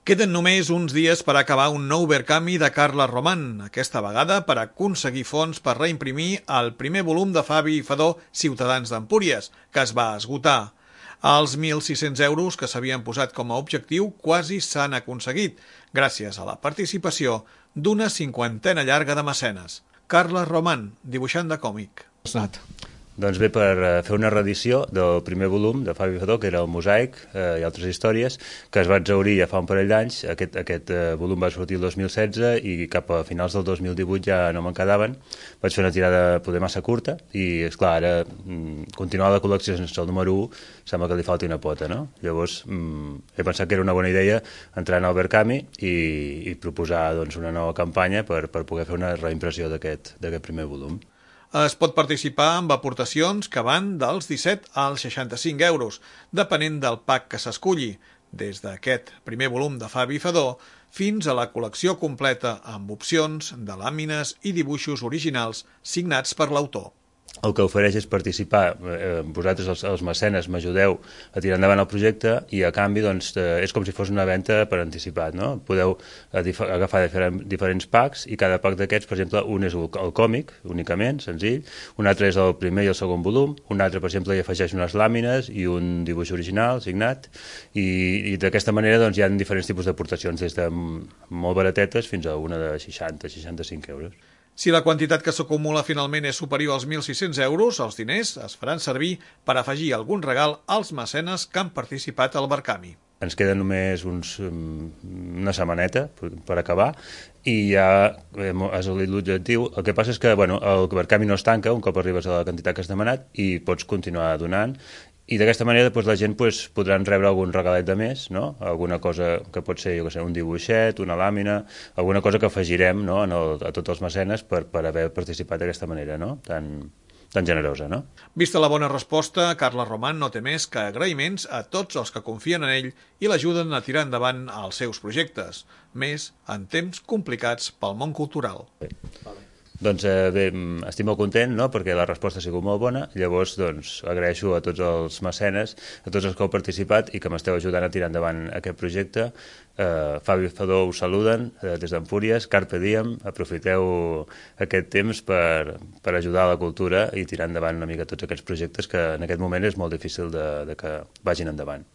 Queden només uns dies per acabar un nou Verkami de Carles Roman, aquesta vegada per aconseguir fons per reimprimir el primer volum de Fabi i Fadó Ciutadans d'Empúries, que es va esgotar. Els 1.600 euros que s'havien posat com a objectiu quasi s'han aconseguit, gràcies a la participació d'una cinquantena llarga de mecenes. Carles Roman, dibuixant de còmic. Doncs bé, per fer una reedició del primer volum de Fabi i Fadó, que era el Mosaic i altres històries, que es va exhaurir ja fa un parell d'anys. Aquest volum va sortir el 2016 i cap a finals del 2018 ja no me'n quedaven. Vaig fer una tirada poder massa curta i, esclar, ara continuar la col·lecció sense el número 1 sembla que li falti una pota, no? Llavors he pensat que era una bona idea entrar en el Verkami i proposar una nova campanya per poder fer una reimpressió d'aquest primer volum. Es pot participar amb aportacions que van dels 17 als 65 euros, depenent del pack que s'esculli, des d'aquest primer volum de Fabi i Fadó fins a la col·lecció completa amb opcions de làmines i dibuixos originals signats per l'autor. El que ofereix és participar, vosaltres els mecenes m'ajudeu a tirar endavant el projecte i a canvi és com si fos una venda per anticipat, no? Podeu agafar diferents packs i cada pack d'aquests, per exemple, un és el còmic únicament, senzill, un altre és el primer i el segon volum, un altre, per exemple, hi afegeix unes làmines i un dibuix original signat i d'aquesta manera hi ha diferents tipus d'aportacions, des de molt baratetes fins a una de 60-65 euros. Si la quantitat que s'acumula finalment és superior als 1.600 euros, els diners es faran servir per afegir algun regal als mecenes que han participat al Verkami. Ens queda només una setmaneta per acabar i ja has assolit l'objectiu. El que passa és que el Verkami no es tanca un cop arribes a la quantitat que has demanat i pots continuar donant. I d'aquesta manera la gent podrà rebre algun regalet de més, no? Alguna cosa que pot ser, un dibuixet, una làmina, alguna cosa que afegirem a tots els mecenes per haver participat d'aquesta manera, no? Tan generosa, no? Vista la bona resposta, Carles Roman no té més que agraïments a tots els que confien en ell i l'ajuden a tirar endavant els seus projectes, més en temps complicats pel món cultural. Doncs bé, estic molt content, no?, perquè la resposta ha sigut molt bona. Llavors, agraeixo a tots els mecenes, a tots els que heu participat i que m'esteu ajudant a tirar endavant aquest projecte. Fabi i Fadó us saluden des d'Empúries, Carpe Diem, aprofiteu aquest temps per ajudar a la cultura i tirar endavant una mica tots aquests projectes que en aquest moment és molt difícil de que vagin endavant.